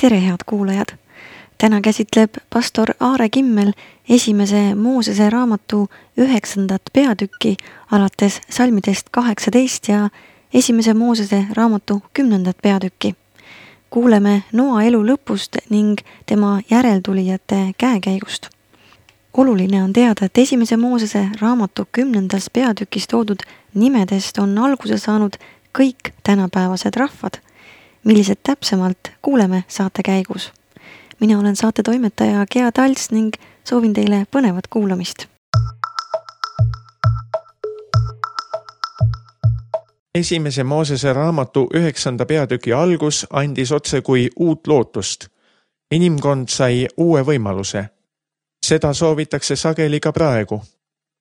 Tere, head kuulajad! Täna käsitleb pastor Aare Kimmel esimese Moosese raamatu 9. peatükki alates salmidest 18 ja esimese Moosese raamatu 10. peatükki. Kuuleme Noa elu lõpust ning tema järeltulijate käekäigust. Oluline on teada, et esimese Moosese raamatu 10. peatükis toodud nimedest on alguse saanud kõik tänapäevased rahvad. Millised täpsemalt kuuleme saate käigus. Mina olen saate toimetaja Gea Talts ning soovin teile põnevat kuulamist. Esimese Moosese raamatu 9. peatüki algus andis otse kui uut lootust. Inimkond sai uue võimaluse. Seda soovitakse sageli ka praegu.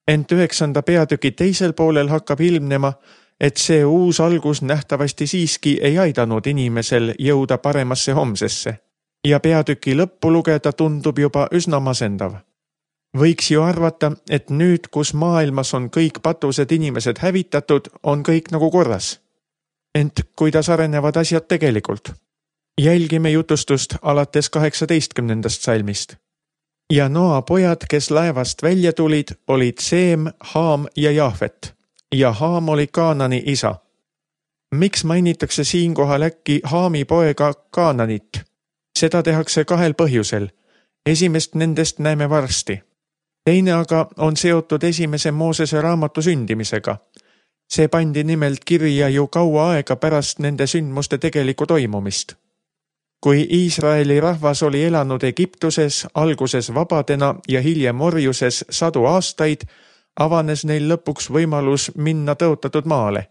Ent 9. peatüki teisel poolel hakkab ilmnema, et see uus algus nähtavasti siiski ei aidanud inimesel jõuda paremasse homsesse ja peatüki lõppu lugeda tundub juba üsna masendav. Võiks ju arvata, et nüüd, kus maailmas on kõik patused inimesed hävitatud, on kõik nagu korras. Ent kuidas arenevad asjad tegelikult? Jälgime jutustust alates 18. salmist. Ja Noa pojad, kes laevast välja tulid, olid Seem, Haam ja Jaafet. Ja Haam oli Kaanani isa. Miks mainitakse siinkohal äkki Haami poega Kaananit? Seda tehakse kahel põhjusel. Esimest nendest näeme varsti. Teine aga on seotud esimese Moosese raamatu sündimisega. See pandi nimelt kirja ju kaua aega pärast nende sündmuste tegelikku toimumist. Kui Iisraeli rahvas oli elanud Egiptuses, alguses vabadena ja hiljem orjuses 100 aastaid, avanes neil lõpuks võimalus minna tõotatud maale.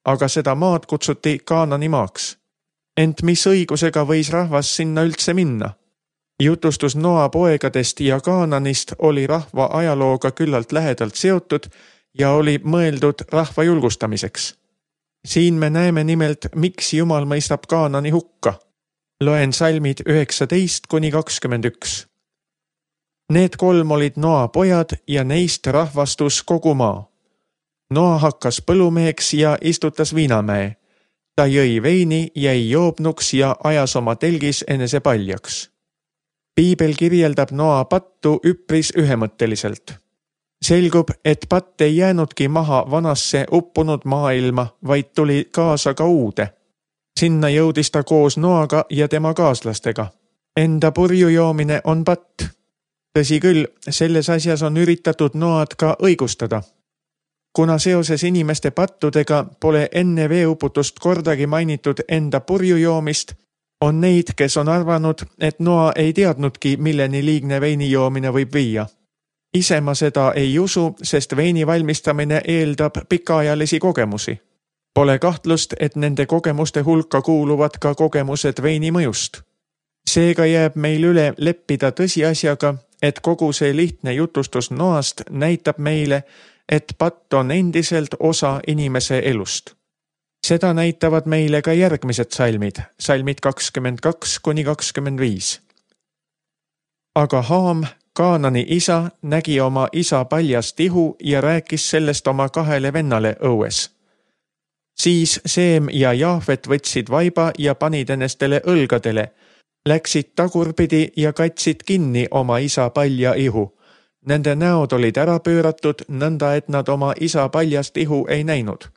Aga seda maad kutsuti Kaanani maaks. Ent mis õigusega võis rahvas sinna üldse minna? Jutustus Noa poegadest ja Kaananist oli rahva ajalooga küllalt lähedalt seotud ja oli mõeldud rahva julgustamiseks. Siin me näeme nimelt, miks Jumal mõistab Kaanani hukka. Loen salmid 19-21. Need 3 olid Noa pojad ja neist rahvastus kogu maa. Noa hakkas põllumeeks ja istutas viinamäe. Ta jõi veini, jäi joobnuks ja ajas oma telgis enese paljaks. Piibel kirjeldab Noa pattu üpris ühemõtteliselt. Selgub, et patt ei jäänudki maha vanasse uppunud maailma, vaid tuli kaasa ka uude. Sinna jõudis ta koos Noaga ja tema kaaslastega. Enda purju joomine on patt. Tõsi küll, selles asjas on üritatud Noad ka õigustada. Kuna seoses inimeste pattudega pole enne veeuputust kordagi mainitud enda purju joomist, on neid, kes on arvanud, et Noa ei teadnudki, milleni liigne veini joomine võib viia. Ise ma seda ei usu, sest veini valmistamine eeldab pikaajalisi kogemusi. Pole kahtlust, et nende kogemuste hulka kuuluvad ka kogemused veini mõjust. Seega jääb meil üle leppida tõsiasjaga, et kogu see lihtne jutustus Noast näitab meile, et patt on endiselt osa inimese elust. Seda näitavad meile ka järgmised salmid, salmid 22-25. Aga Haam, Kaanani isa, nägi oma isa paljast ihu ja rääkis sellest oma 2 vennale õues. Siis Seem ja Jaafet võtsid vaiba ja panid ennestele õlgadele, läksid tagurpidi ja katsid kinni oma isa palja ihu. Nende näod olid ära pööratud, nõnda et nad oma isa paljast ihu ei näinud.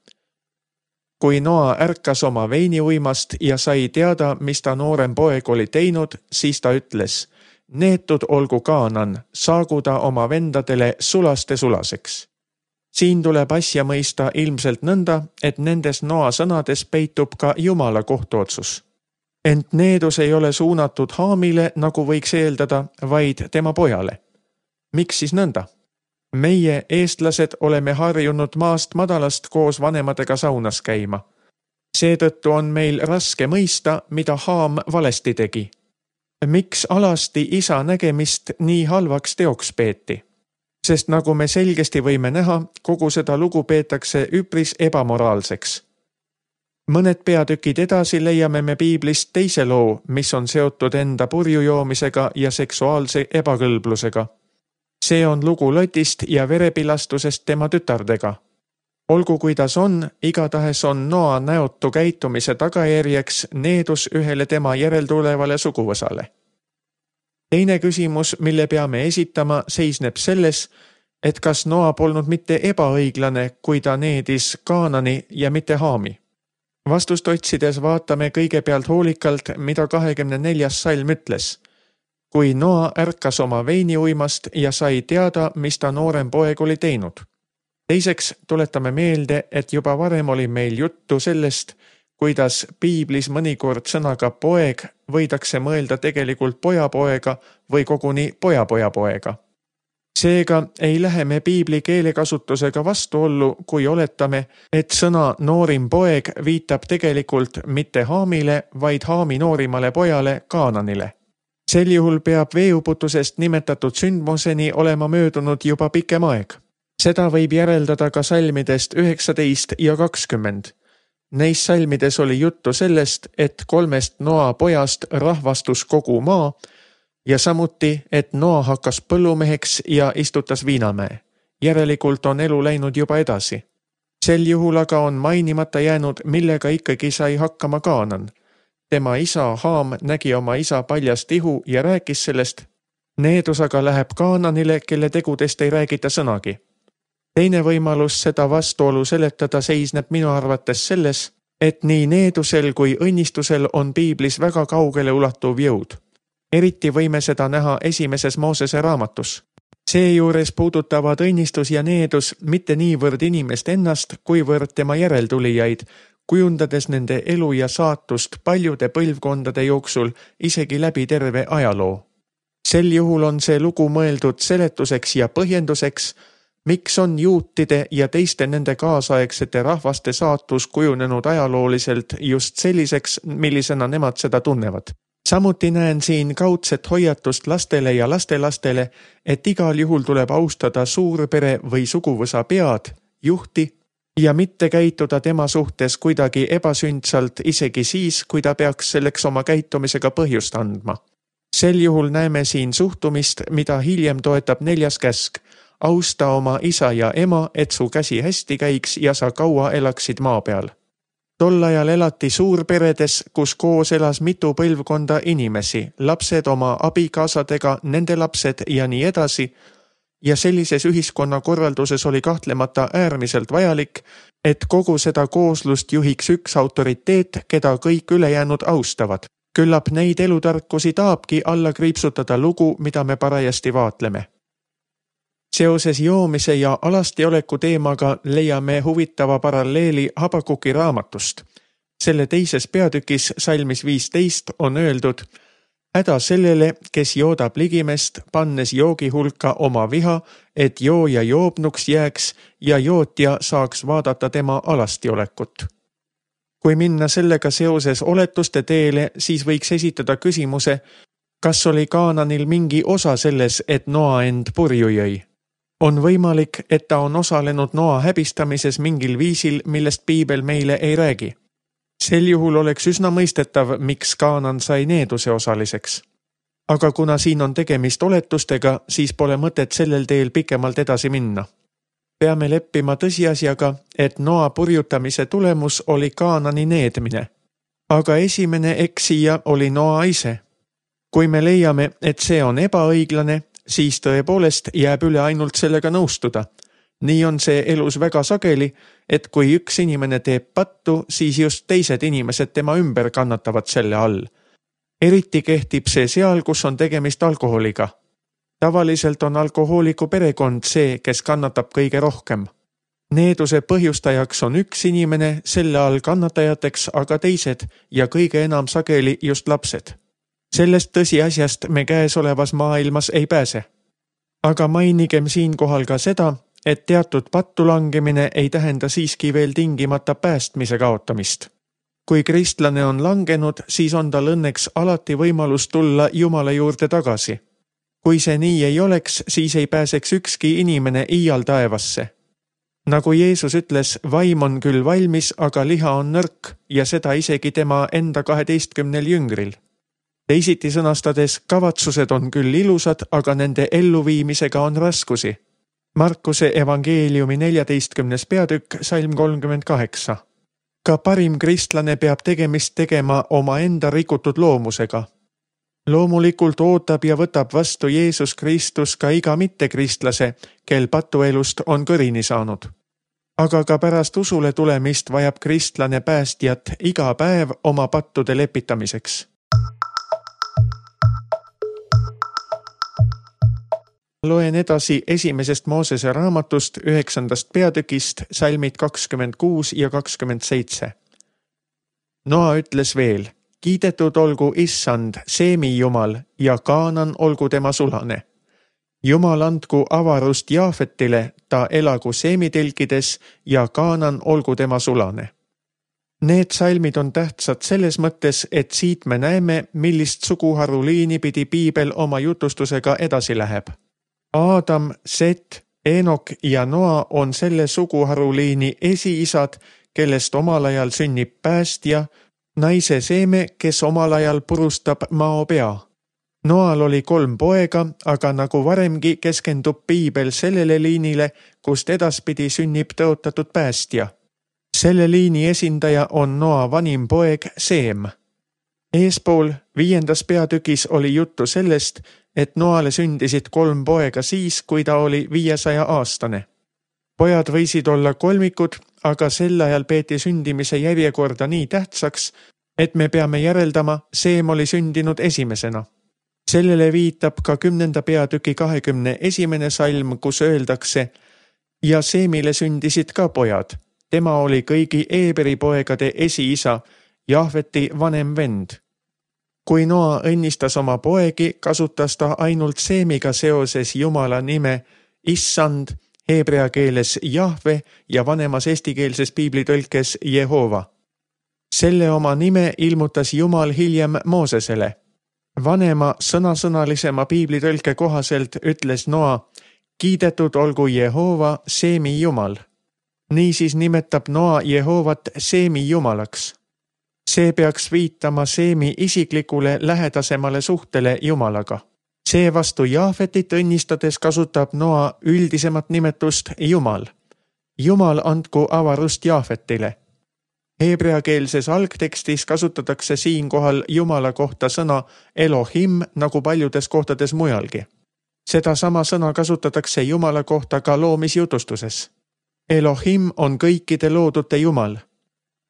Kui Noa ärkas oma veiniuimast ja sai teada, mis ta noorem poeg oli teinud, siis ta ütles, neetud olgu Kaanan, saagu ta oma vendadele sulaste sulaseks. Siin tuleb asja mõista ilmselt nõnda, et nendes Noa sõnades peitub ka Jumala kohtuotsus. Ent needus ei ole suunatud Haamile, nagu võiks eeldada, vaid tema pojale. Miks siis nõnda? Meie, eestlased, oleme harjunud maast madalast koos vanematega saunas käima. Seetõttu on meil raske mõista, mida Haam valesti tegi. Miks alasti isa nägemist nii halvaks teoks peeti? Sest nagu me selgesti võime näha, kogu seda lugu peetakse üpris ebamoraalseks. Mõned peatükid edasi leiame me Piiblist teise loo, mis on seotud enda purju joomisega ja seksuaalse ebakõlblusega. See on lugu Lotist ja verepilastusest tema tütardega. Olgu kuidas on, igatahes on Noa näotu käitumise tagajärjeks needus ühele tema järeltulevale suguvõsale. Teine küsimus, mille peame esitama, seisneb selles, et kas Noa polnud mitte ebaõiglane, kui ta needis Kaanani ja mitte Haami. Vastust otsides vaatame kõigepealt hoolikalt, mida 24. salm ütles. Kui Noa ärkas oma veiniuimast ja sai teada, mis ta noorem poeg oli teinud. Teiseks tuletame meelde, et juba varem oli meil juttu sellest, kuidas piiblis mõnikord sõnaga poeg võidakse mõelda tegelikult pojapoega või koguni pojapojapoega. Seega ei lähe me piibli keelekasutusega vastuollu, kui oletame, et sõna noorim poeg viitab tegelikult mitte Haamile, vaid Haami noorimale pojale Kaananile. Sel juhul peab veeuputusest nimetatud sündmuseni olema möödunud juba pikem aeg. Seda võib järeldada ka salmidest 19 ja 20. Neis salmides oli juttu sellest, et 3 Noa pojast rahvastus kogu maa ja samuti, et Noa hakkas põllumeheks ja istutas viinamäe. Järelikult on elu läinud juba edasi. Sel juhul aga on mainimata jäänud, millega ikkagi sai hakkama Kaanan. Tema isa Haam nägi oma isa paljast ihu ja rääkis sellest. Needus aga läheb Kaananile, kelle tegudest ei räägita sõnagi. Teine võimalus seda vastuolu seletada seisneb minu arvates selles, et nii needusel kui õnnistusel on piiblis väga kaugele ulatuv jõud. Eriti võime seda näha esimeses Moosese raamatus. Seejuures puudutavad õnnistus ja needus mitte niivõrd inimest ennast, kuivõrd tema järeltulijaid, kujundades nende elu ja saatust paljude põlvkondade jooksul isegi läbi terve ajaloo. Sel juhul on see lugu mõeldud seletuseks ja põhjenduseks, miks on juutide ja teiste nende kaasaegsete rahvaste saatus kujunenud ajalooliselt just selliseks, millisena nemad seda tunnevad. Samuti näen siin kaudset hoiatust lastele ja lastelastele, et igal juhul tuleb austada suurpere või suguvõsa pead, juhti, ja mitte käituda tema suhtes kuidagi ebasündsalt isegi siis, kui ta peaks selleks oma käitumisega põhjust andma. Sel juhul näeme siin suhtumist, mida hiljem toetab 4. käsk. Austa oma isa ja ema, et su käsi hästi käiks ja sa kaua elaksid maa peal. Tol ajal elati suurperedes, kus koos elas mitu põlvkonda inimesi, lapsed oma abikaasadega, nende lapsed ja nii edasi, ja sellises ühiskonnakorralduses oli kahtlemata äärmiselt vajalik, et kogu seda kooslust juhiks üks autoriteet, keda kõik ülejäänud austavad. Küllap neid elutarkusi tahabki alla kriipsutada lugu, mida me parajasti vaatleme. Seoses joomise ja alastioleku teemaga leiame huvitava paralleeli Habakuki raamatust. Selle teises peatükis salmis 15 on öeldud: häda sellele, kes joodab ligimest, pannes joogi hulka oma viha, et jooja joobnuks jääks ja jootja saaks vaadata tema alastiolekut. Kui minna sellega seoses oletuste teele, siis võiks esitada küsimuse, kas oli Kaananil mingi osa selles, et Noa end purju jõi. On võimalik, et ta on osalenud Noa häbistamises mingil viisil, millest piibel meile ei räägi. Sel juhul oleks üsna mõistetav, miks Kaanan sai needuse osaliseks. Aga kuna siin on tegemist oletustega, siis pole mõtet sellel teel pikemalt edasi minna. Peame leppima tõsiasjaga, et Noa purjutamise tulemus oli Kaanani needmine. Aga esimene eksija oli Noa ise. Kui me leiame, et see on ebaõiglane, siis tõepoolest jääb üle ainult sellega nõustuda. Nii on see elus väga sageli, et kui üks inimene teeb pattu, siis just teised inimesed tema ümber kannatavad selle all. Eriti kehtib see seal, kus on tegemist alkoholiga. Tavaliselt on alkohooliku perekond see, kes kannatab kõige rohkem. Needuse põhjustajaks on üks inimene, selle all kannatajateks aga teised ja kõige enam sageli just lapsed. Sellest tõsiasjast me käesolevas maailmas ei pääse. Aga mainigem siinkohal ka seda, et teatud pattu langemine ei tähenda siiski veel tingimata päästmise kaotamist. Kui kristlane on langenud, siis on tal õnneks alati võimalus tulla Jumala juurde tagasi. Kui see nii ei oleks, siis ei pääseks ükski inimene iial taevasse. Nagu Jeesus ütles, vaim on küll valmis, aga liha on nõrk ja seda isegi tema enda 12 jüngril. Teisiti sõnastades, kavatsused on küll ilusad, aga nende elluviimisega on raskusi. Markuse evangeeliumi 14. peatükk, salm 38. Ka parim kristlane peab tegemist tegema omaenda rikutud loomusega. Loomulikult ootab ja võtab vastu Jeesus Kristus ka iga mittekristlase, kel patuelust on kõrini saanud. Aga ka pärast usule tulemist vajab kristlane päästjat iga päev oma pattude lepitamiseks. Loen edasi esimesest Moosese raamatust 9. peatükist, salmid 26 ja 27. Noa ütles veel: kiidetud olgu Issand, Seemi Jumal, ja Kaanan olgu tema sulane. Jumal andku avarust Jaafetile, ta elagu Seemi telkides, ja Kaanan olgu tema sulane. Need salmid on tähtsad selles mõttes, et siit me näeme, millist suguharuliini pidi Piibel oma jutustusega edasi läheb. Aadam, Set, Enok ja Noa on selle suguharuliini esiisad, kellest omal ajal sünnib päästja, naise seeme, kes omal ajal purustab mao pea. Noal oli 3 poega, aga nagu varemgi keskendub Piibel sellele liinile, kust edaspidi sünnib tõotatud päästja. Selle liini esindaja on Noa vanim poeg Seem. Eespool 5. peatükis oli juttu sellest, et Noale sündisid 3 poega siis, kui ta oli 500-aastane. Pojad võisid olla kolmikud, aga sel ajal peeti sündimise järjekorda nii tähtsaks, et me peame järeldama, Seem oli sündinud esimesena. Sellele viitab ka 10. peatüki 21. salm, kus öeldakse: ja Seemile sündisid ka pojad. Tema oli kõigi Eeberi poegade esiisa, Jahveti vanem vend. Kui Noa õnnistas oma poegi, kasutas ta ainult Seemiga seoses Jumala nime Issand, heebrea keeles Jahve ja vanemas eestikeelses piiblitõlkes Jehova. Selle oma nime ilmutas Jumal hiljem Moosesele. Vanema sõnasõnalisema piiblitõlke kohaselt ütles Noa: kiidetud olgu Jehova, Seemi Jumal. Niisiis nimetab Noa Jehovat Seemi Jumalaks. See peaks viitama Seemi isiklikule lähedasemale suhtele Jumalaga. Seevastu Jahvetit õnnistades kasutab Noa üldisemat nimetust Jumal. Jumal andku avarust Jahvetile. Heebreakeelses algtekstis kasutatakse siinkohal Jumala kohta sõna Elohim nagu paljudes kohtades mujalgi. Seda sama sõna kasutatakse Jumala kohta ka loomisjutustuses. Elohim on kõikide loodute Jumal.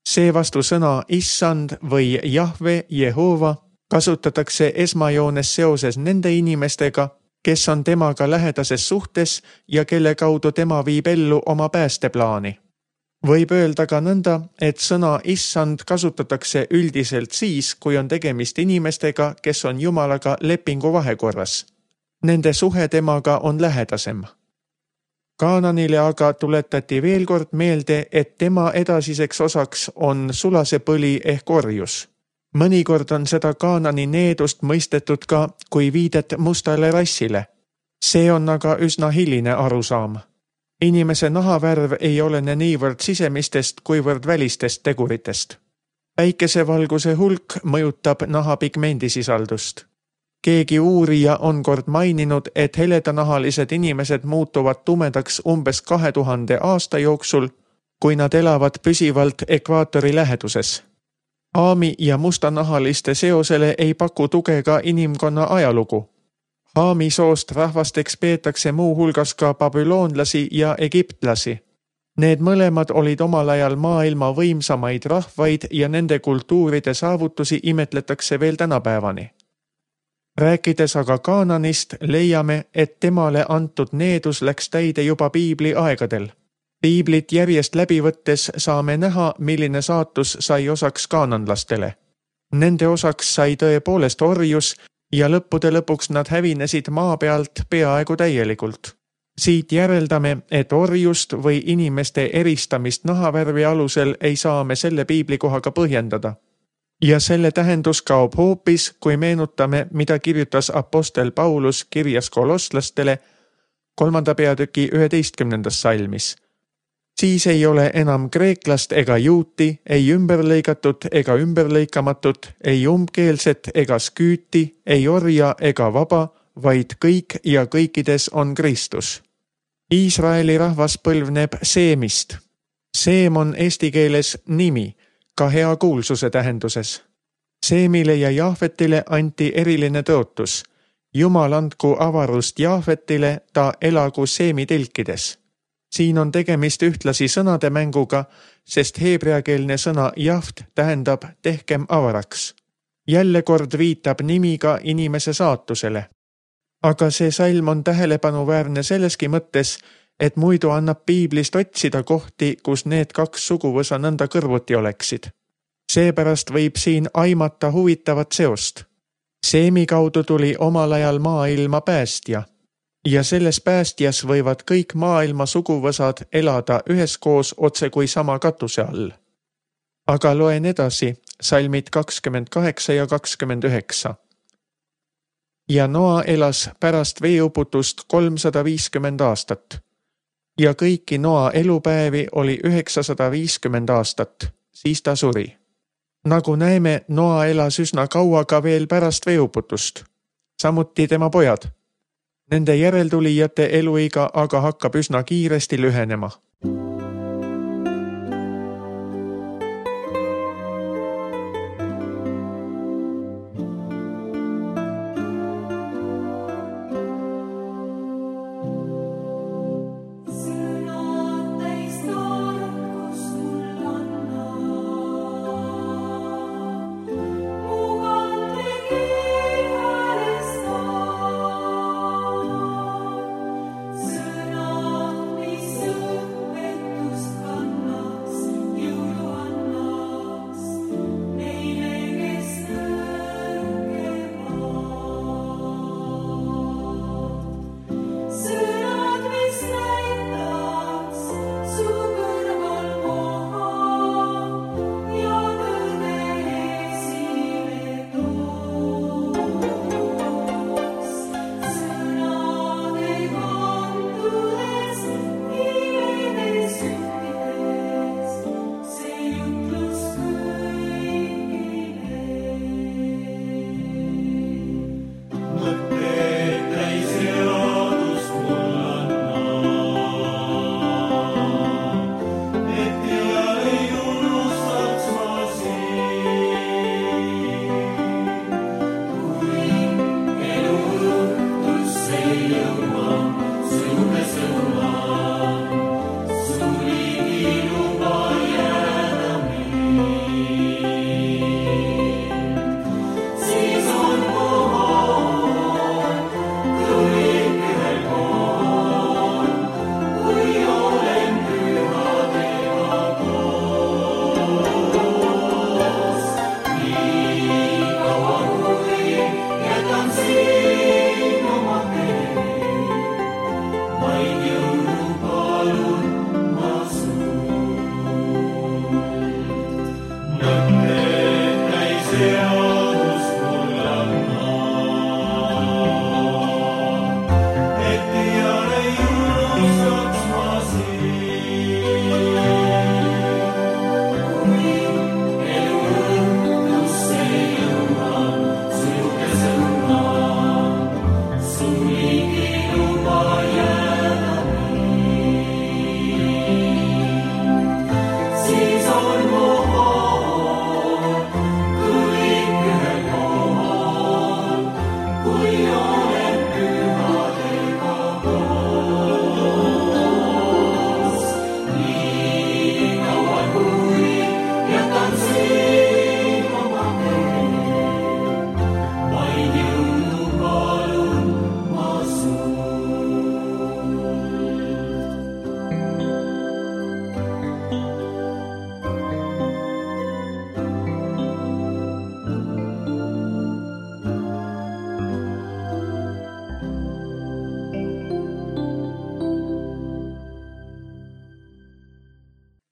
Seevastu sõna Issand või Jahve, Jehova kasutatakse esmajoones seoses nende inimestega, kes on temaga lähedases suhtes ja kelle kaudu tema viib ellu oma päästeplaani. Võib öelda ka nõnda, et sõna Issand kasutatakse üldiselt siis, kui on tegemist inimestega, kes on Jumalaga lepingu vahekorras. Nende suhe temaga on lähedasem. Kaananile aga tuletati veel kord meelde, et tema edasiseks osaks on sulasepõli ehk orjus. Mõnikord on seda Kaanani needust mõistetud ka kui viidet mustale rassile. See on aga üsna hiline arusaam. Inimese nahavärv ei olene niivõrd sisemistest kuivõrd välistest teguritest. Päikesevalguse hulk mõjutab naha pigmendisisaldust. Keegi uurija on kord maininud, et heledanahalised inimesed muutuvad tumedaks umbes 2000 aasta jooksul, kui nad elavad püsivalt ekvaatori läheduses. Haami ja mustanahaliste seosele ei paku tuge ka inimkonna ajalugu. Haami soost rahvasteks peetakse muu hulgas ka babüloonlasi ja egiptlasi. Need mõlemad olid omal ajal maailma võimsamaid rahvaid ja nende kultuuride saavutusi imetletakse veel tänapäevani. Rääkides aga Kaananist, leiame, et temale antud needus läks täide juba Piibli aegadel. Piiblit järjest läbi võttes saame näha, milline saatus sai osaks kaananlastele. Nende osaks sai tõepoolest orjus ja lõppude lõpuks nad hävinesid maa pealt peaaegu täielikult. Siit järeldame, et orjust või inimeste eristamist nahavärvi alusel ei saa me selle piiblikohaga põhjendada. Ja selle tähendus kaob hoopis, kui meenutame, mida kirjutas apostel Paulus kirjas kolosslastele 3. peatüki 11. salmis. Siis ei ole enam kreeklast ega juuti, ei ümberlõigatud ega ümberlõikamatut, ei umbkeelset ega sküüti, ei orja ega vaba, vaid kõik ja kõikides on Kristus. Iisraeli rahvas põlvneb Seemist. Seem on eesti keeles nimi, ka hea kuulsuse tähenduses. Seemile ja Jaafetile anti eriline tõotus. Jumal andku avarust Jaafetile, ta elagu Seemi telkides. Siin on tegemist ühtlasi sõnade mänguga, sest heebreakeelne sõna jaft tähendab tehkem avaraks. Jälle kord viitab nimiga inimese saatusele. Aga see salm on tähelepanuväärne selleski mõttes, et muidu annab piiblist otsida kohti, kus need kaks suguvõsa nõnda kõrvuti oleksid. Seepärast võib siin aimata huvitavat seost. Seemi kaudu tuli omal ajal maailma päästja. Ja selles päästjas võivad kõik maailma suguvõsad elada üheskoos otse kui sama katuse all. Aga loen edasi, salmid 28 ja 29. Ja Noa elas pärast veeuputust 350 aastat. Ja kõiki Noa elupäevi oli 950 aastat, siis ta suri. Nagu näeme, Noa elas üsna kaua ka veel pärast veeuputust. Samuti tema pojad. Nende järeltulijate eluiga aga hakkab üsna kiiresti lühenema.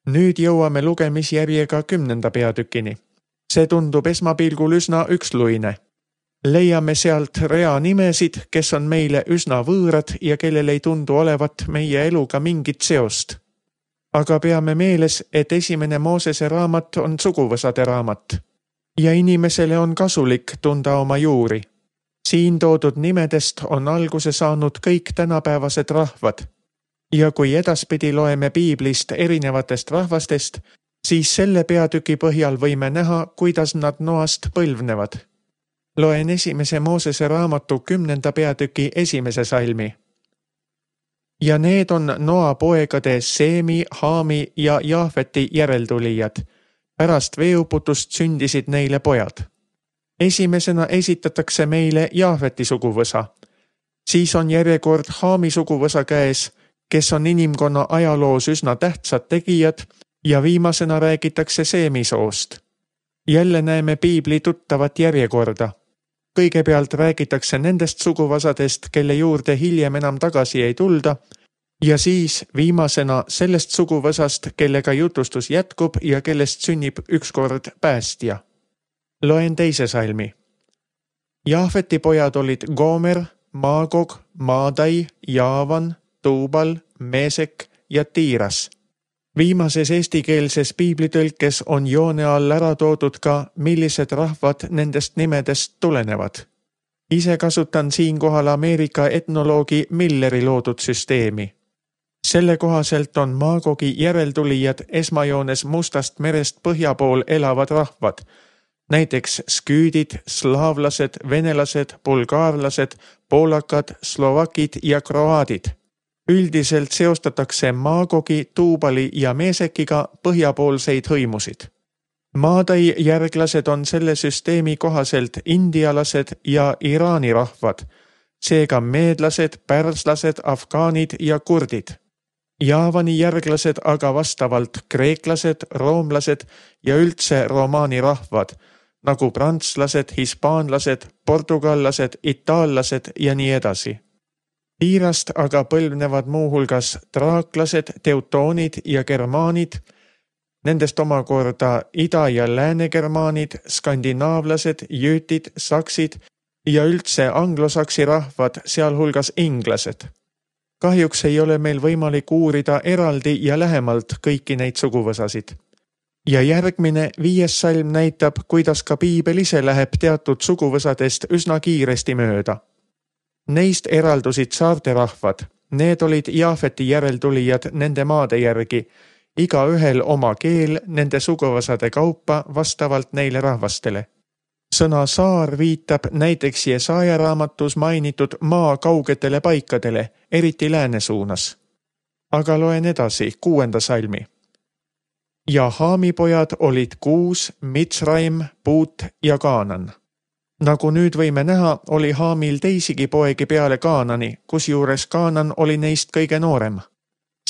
Nüüd jõuame lugemisjärjega 10. peatükini. See tundub esmapilgul üsna üksluine. Leiame sealt rea nimesid, kes on meile üsna võõrad ja kellel ei tundu olevat meie eluga mingit seost. Aga peame meeles, et esimene Moosese raamat on suguvõsade raamat. Ja inimesele on kasulik tunda oma juuri. Siin toodud nimedest on alguse saanud kõik tänapäevased rahvad. Ja kui edaspidi loeme piiblist erinevatest rahvastest, siis selle peatüki põhjal võime näha, kuidas nad Noast põlvnevad. Loen esimese Moosese raamatu 10. peatüki 1. salmi. Ja need on Noa poegade Seemi, Haami ja Jaafeti järeltulijad. Pärast veeuputust sündisid neile pojad. Esimesena esitatakse meile Jaafeti suguvõsa. Siis on järjekord Haami suguvõsa käes, kes on inimkonna ajaloos üsna tähtsad tegijad, ja viimasena räägitakse Seemi soost. Jälle näeme piibli tuttavat järjekorda. Kõigepealt räägitakse nendest suguvõsadest, kelle juurde hiljem enam tagasi ei tulda, ja siis viimasena sellest suguvõsast, kellega jutustus jätkub ja kellest sünnib ükskord päästja. Loen 2. salmi. Jaafeti pojad olid Gomer, Maagog, Maadai, Jaavan, Tuubal, Meesek ja Tiiras. Viimases eestikeelses piiblitõlkes on joone all ära toodud ka, millised rahvad nendest nimedest tulenevad. Ise kasutan siinkohal Ameerika etnoloogi Milleri loodud süsteemi. Selle kohaselt on Maagogi järeltulijad esmajoones Mustast merest põhja pool elavad rahvad, näiteks sküüdid, slaavlased, venelased, bulgaarlased, poolakad, slovakid ja kroaadid. Üldiselt seostatakse Maagogi, Tuubali ja Meesekiga põhjapoolseid hõimusid. Maadai järglased on selle süsteemi kohaselt indialased ja Iraani rahvad, seega meedlased, pärslased, afgaanid ja kurdid. Jaavani järglased aga vastavalt kreeklased, roomlased ja üldse romaani rahvad, nagu prantslased, hispaanlased, portugallased, itaallased ja nii edasi. Tiirast aga põlvnevad muuhulgas traaklased, teutoonid ja germaanid, nendest omakorda ida- ja lääne-germaanid, skandinaavlased, jüütid, saksid ja üldse anglosaksi rahvad, sealhulgas inglased. Kahjuks ei ole meil võimalik uurida eraldi ja lähemalt kõiki neid suguvõsasid. Ja järgmine 5. salm näitab, kuidas ka piibel ise läheb teatud suguvõsadest üsna kiiresti mööda. Neist eraldusid saarte rahvad. Need olid Jaafeti järeltulijad nende maade järgi, igaühel oma keel nende suguvõsade kaupa vastavalt neile rahvastele. Sõna saar viitab näiteks Jesaja raamatus mainitud maa kaugetele paikadele, eriti lääne suunas. Aga loen edasi 6. salmi. Ja Haami pojad olid Kuus, Mitsraim, Puut ja Kaanan. Nagu nüüd võime näha, oli Haamil teisigi poegi peale Kaanani, kusjuures Kaanan oli neist kõige noorem.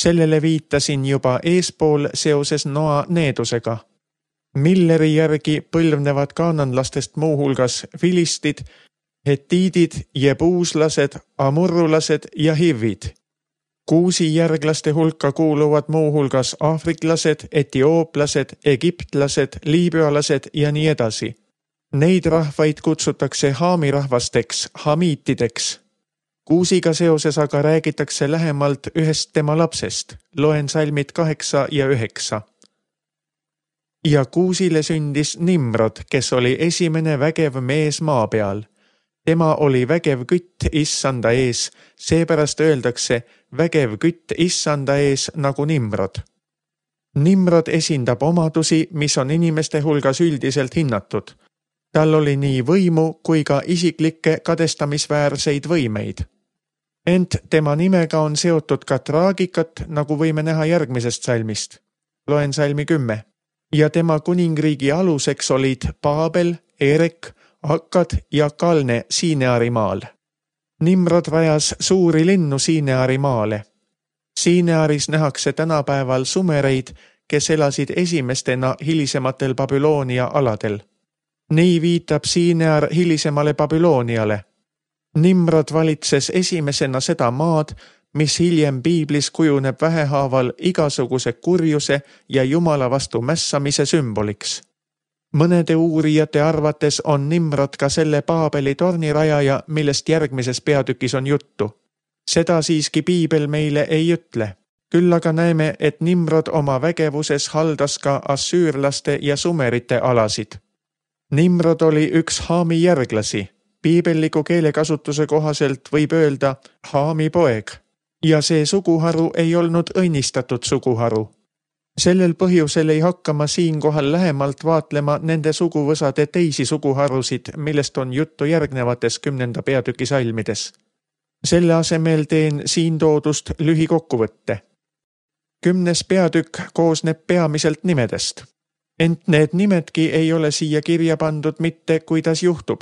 Sellele viitasin juba eespool seoses Noa needusega. Milleri järgi põlvnevad kaananlastest muuhulgas filistid, hetiidid, jebuuslased, amurrulased ja hivid. Kuusi järglaste hulka kuuluvad muuhulgas aafriklased, etiooplased, egiptlased, liibüalased ja nii edasi. Neid rahvaid kutsutakse Haami rahvasteks, hamiitideks. Kuusiga seoses aga räägitakse lähemalt ühest tema lapsest. Loen salmid 8 ja 9. Ja Kuusile sündis Nimrod, kes oli esimene vägev mees maa peal. Tema oli vägev kütt issanda ees, seepärast öeldakse vägev kütt issanda ees nagu Nimrod. Nimrod esindab omadusi, mis on inimeste hulgas üldiselt hinnatud. Tal oli nii võimu kui ka isiklikke kadestamisväärseid võimeid. Ent tema nimega on seotud ka traagikat, nagu võime näha järgmisest salmist. Loen salmi 10. Ja tema kuningriigi aluseks olid Paabel, Erek, Akkad ja Kalne Siineari maal. Nimrod rajas suuri linnu Siineari maale. Siinearis nähakse tänapäeval sumereid, kes elasid esimestena hilisematel Babyloonia aladel. Nii viitab Siinear hilisemale Babyloniale. Nimrod valitses esimesena seda maad, mis hiljem piiblis kujuneb vähehaaval igasuguse kurjuse ja Jumala vastu mässamise sümboliks. Mõnede uurijate arvates on Nimrod ka selle Paabeli tornirajaja, millest järgmises peatükis on juttu. Seda siiski piibel meile ei ütle. Küll aga näeme, et Nimrod oma vägevuses haldas ka assüürlaste ja sumerite alasid. Nimrod oli üks Haami järglasi. Piibelliku keelekasutuse kohaselt võib öelda Haami poeg. ja see suguharu ei olnud õnnistatud suguharu. Sellel põhjusel ei hakka ma siinkohal lähemalt vaatlema nende suguvõsade teisi suguharusid, millest on juttu järgnevates 10. peatüki salmides. Selle asemel teen siin toodust lühikokkuvõtte. 10. peatükk koosneb peamiselt nimedest. Ent need nimedki ei ole siia kirja pandud mitte, kuidas juhtub.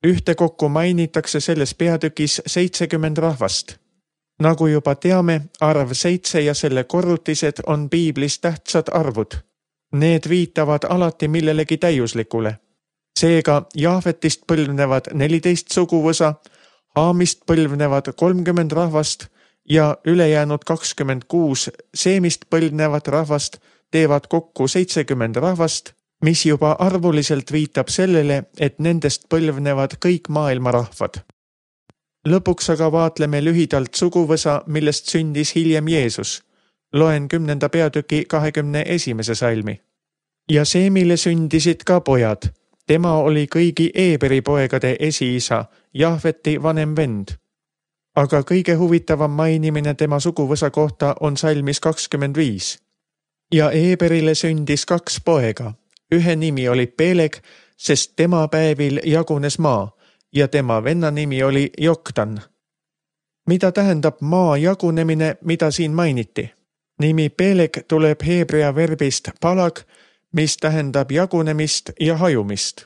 Ühtekokku mainitakse selles peatükis 70 rahvast. Nagu juba teame, arv 7 ja selle korrutised on piiblis tähtsad arvud. Need viitavad alati millelegi täiuslikule. Seega Jaafetist põlvnevad 14 suguvõsa, Haamist põlvnevad 30 rahvast ja ülejäänud 26 Seemist põlvnevat rahvast teevad kokku 70 rahvast, mis juba arvuliselt viitab sellele, et nendest põlvnevad kõik maailma rahvad. Lõpuks aga vaatleme lühidalt suguvõsa, millest sündis hiljem Jeesus. Loen 10. peatüki 21. salmi. Ja Seemile sündisid ka pojad. Tema oli kõigi Eeberi poegade esiisa, Jahveti vanem vend. Aga kõige huvitavam mainimine tema suguvõsa kohta on salmis 25. Ja Eeberile sündis 2 poega. Ühe nimi oli Peleg, sest tema päevil jagunes maa, ja tema venna nimi oli Joktan. Mida tähendab maa jagunemine, mida siin mainiti? Nimi Peleg tuleb heebrea verbist palag, mis tähendab jagunemist ja hajumist.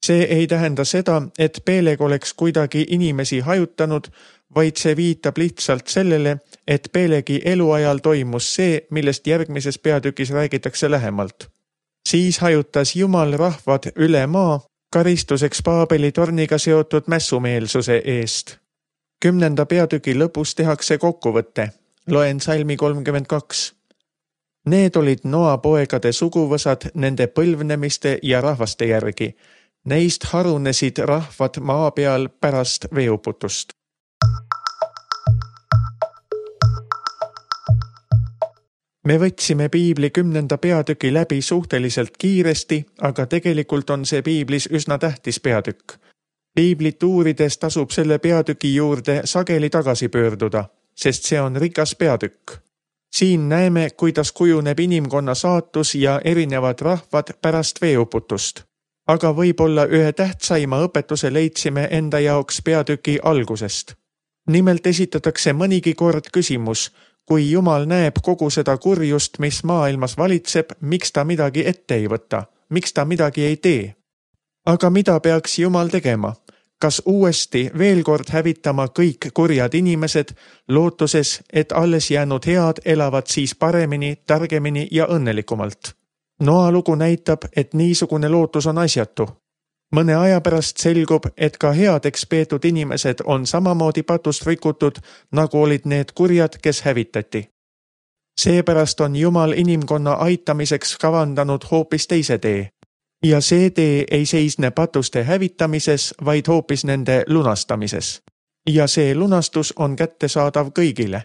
See ei tähenda seda, et Peleg oleks kuidagi inimesi hajutanud, vaid see viitab lihtsalt sellele, et Pelegi eluajal toimus see, millest järgmises peatükis räägitakse lähemalt. Siis hajutas Jumal rahvad üle maa, karistuseks Paabeli torniga seotud mässumeelsuse eest. 10. peatüki lõpus tehakse kokkuvõte. Loen salmi 32. Need olid Noa poegade suguvõsad nende põlvnemiste ja rahvaste järgi. Neist harunesid rahvad maa peal pärast veeuputust. Me võtsime piibli 10. peatüki läbi suhteliselt kiiresti, aga tegelikult on see piiblis üsna tähtis peatükk. Piiblit uurides tasub selle peatüki juurde sageli tagasi pöörduda, sest see on rikas peatükk. Siin näeme, kuidas kujuneb inimkonna saatus ja erinevad rahvad pärast veeuputust. Aga võib-olla ühe tähtsaima õpetuse leidsime enda jaoks peatüki algusest. Nimelt esitatakse mõnigi kord küsimus, kui Jumal näeb kogu seda kurjust, mis maailmas valitseb, miks ta midagi ette ei võta, miks ta midagi ei tee. Aga mida peaks Jumal tegema? Kas uuesti veel kord hävitama kõik kurjad inimesed, lootuses, et alles jäänud head elavad siis paremini, targemini ja õnnelikumalt? Noa lugu näitab, et niisugune lootus on asjatu. Mõne aja pärast selgub, et ka headeks peetud inimesed on samamoodi patust rikutud, nagu olid need kurjad, kes hävitati. Seepärast on Jumal inimkonna aitamiseks kavandanud hoopis teise tee. Ja see tee ei seisne patuste hävitamises, vaid hoopis nende lunastamises. Ja see lunastus on kättesaadav kõigile.